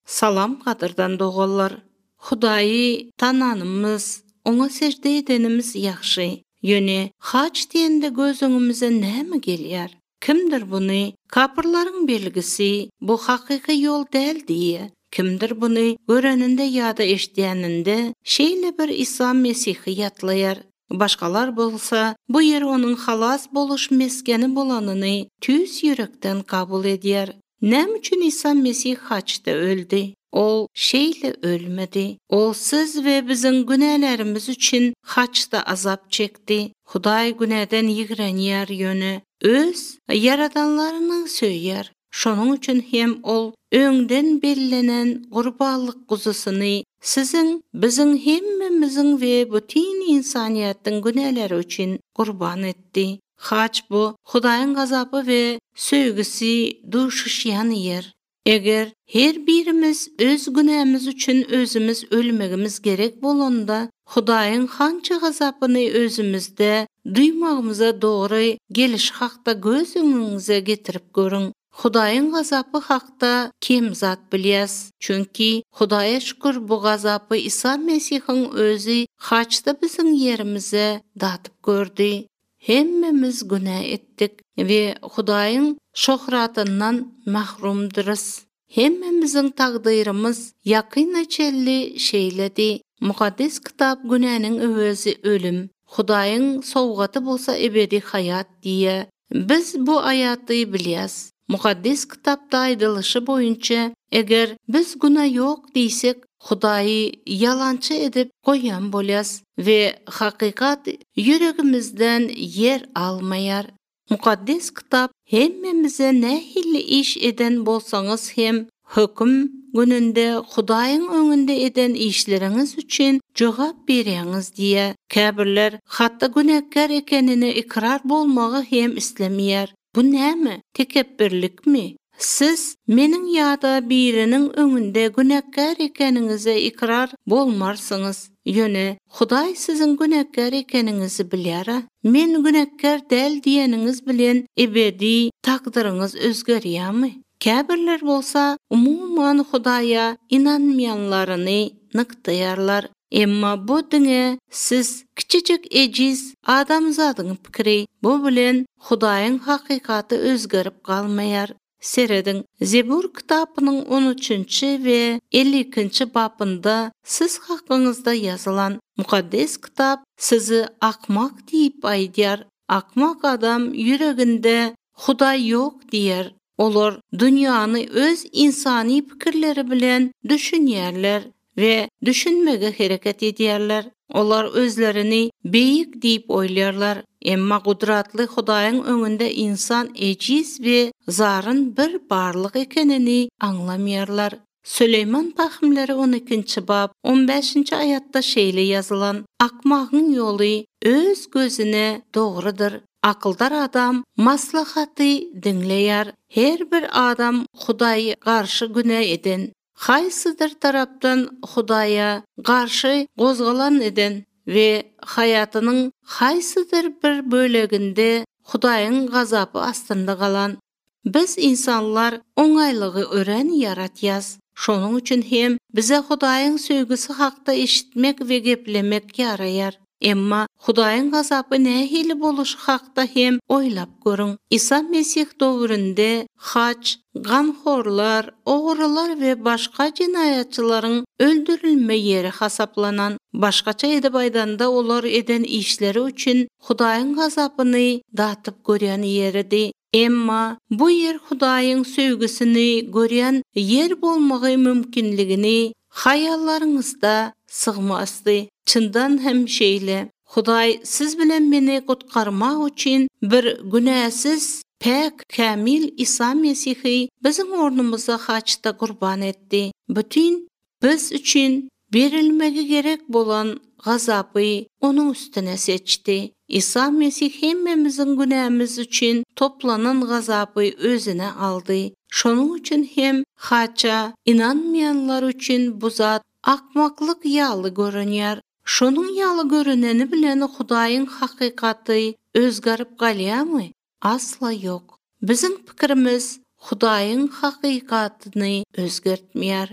Salam qadırdan doğallar. Hudayi tananımız, ona secde edenimiz yaxşı. Yöne, haç diyende gözüňümize näme gelýär? Kimdir bunu? Kapırların belgisi, bu hakiki yol değil diye. Kimdir bunu göreninde ya da eşdiýäninde şeýle bir İsa Mesihi ýatlaýar. Başkalar bolsa, bu yer onun halas boluş meskeni bolanyny tüz yürekden kabul edýär. Näme üçin İsa Mesih haçda öldü? Ol şeýle ölmedi. Ol siz we biziň günälerimiz üçin haçda azap çekdi. Hudaý günäden ýigrenýär ýöne öz yaradanlaryny söýýär. Şonuň üçin hem ol öňden bellenen gurbanlyk guzusyny siziň, biziň hemmemiziň we bütün insaniýatyň günäleri üçin gurban etdi. Haç bu Hudaýyň gazapy we söýgüsi duşuşýan yer. Eger her birimiz öz günämiz üçin özümüz ölmegimiz gerek bolanda, Hudaýyň hança gazapyny özümizde duýmagymyza dogry geliş hakda göz öňüňize getirip görüň. Hudaýyň gazapy hakda kim zat bilýäs? Çünki Hudaýa şükür bu gazapy İsa Mesihiň özü haçda biziň ýerimize datyp gördi. Hemmemiz günah etdik ve Hudaýyň şöhratyndan mahrumdyrys. Hemmemiziň tagdyrymız ýakyna çelli şeýledi. Mukaddes kitap günäniň öwezi ölüm, Hudaýyň sowgaty bolsa ebedi hayat diýe. Biz bu aýaty bilýäs. Mukaddes kitapda aýdylýşy boýunça eger biz günah ýok diýsek, Hudaýy yalançy edip goýan bolýas we hakykat yüregimizden yer almaýar. Mukaddes kitap hemmemize nähili iş eden bolsaňyz hem höküm gününde Hudaýyň öňünde eden işleriňiz üçin jogap berýäňiz diýe. Käbirler hatda günäkär ekenini ikrar bolmagy hem islemýär. Bu näme? Tekebbürlikmi? Siz meniň ýa-da biriniň öňünde günäkär ekeniňize ikrar bolmarsyňyz. Ýöne Hudaý siziň günäkär ekeniňizi bilýär. Men günäkär däl diýeniňiz bilen ebedi takdyryňyz özgerýärmi? Käbirler bolsa umuman Hudaýa inanmaýanlaryny nykdaýarlar. Emma bu diňe siz kiçijik ejiz adamzadyň pikiri, bu bilen Hudaýyň hakykaty özgerip galmaýar. Seredin Zebur kitabının 13. ve 52. babında siz hakkınızda yazılan mukaddes kitap sizi akmak diýip aýdýar. Akmak adam yüreginde Hudaý ýok diýer. Olar dünýany öz insani pikirleri bilen düşünýärler ve düşünmege hereket edýärler. Olar özlerini beýik diýip oýlarlar. Emma gudratly Hudaýyň öňünde insan ejiz we zaryn bir barlyk ekenini aňlamaýarlar. Süleyman Tahmleri 12. bab 15. aýatda şeýle ýazylan: Akmagyň ýoly öz gözüne dogrydyr. Akyldar adam maslahaty dinleýär. Her bir adam Hudaýa garşy günä eden, haýsydyr tarapdan Hudaýa garşy gozgalan eden ve hayatynyň haýsydyr bir böleginde Hudaýyň gazapy astynda galan. Biz insanlar oňaýlygy ören yaratýas. Şonuň üçin hem bize Hudaýyň söýgüsi hakda eşitmek we geplemek ýaraýar. Emma Hudaýyň gazapy nähili boluş hakda hem oýlap görüň. İsa Mesih döwründe haç, ganhorlar, ogrylar we başga jinaýatçylaryň öldürilme ýeri hasaplanan. Başgaça edip aýdanda olar eden işleri üçin Hudaýyň gazapyny datyp görýän ýerdi. Emma bu yer Hudaýyň söýgüsini görýän yer bolmagy mümkinligini haýallaryňyzda sygmasdy. Çyndan hem şeýle. Hudaý siz bilen meni gutgarmak üçin bir günäsiz, pek, kämil İsa Mesihi biziň ornumyza haçda gurban etdi. Bütün biz üçin berilmegi gerek bolan gazapy onuň üstüne seçdi. İsa Mesih hemmemizin günämiz üçin toplanan gazapy özüne aldy. Şonuň üçin hem haça inanmaýanlar üçin bu zat akmaklyk ýaly görünýär. Şonuň ýaly görüneni bilen Hudaýyň hakykaty özgerip galýarmy? Asla ýok. Biziň pikirimiz Hudaýyň hakykatyny özgertmeýär.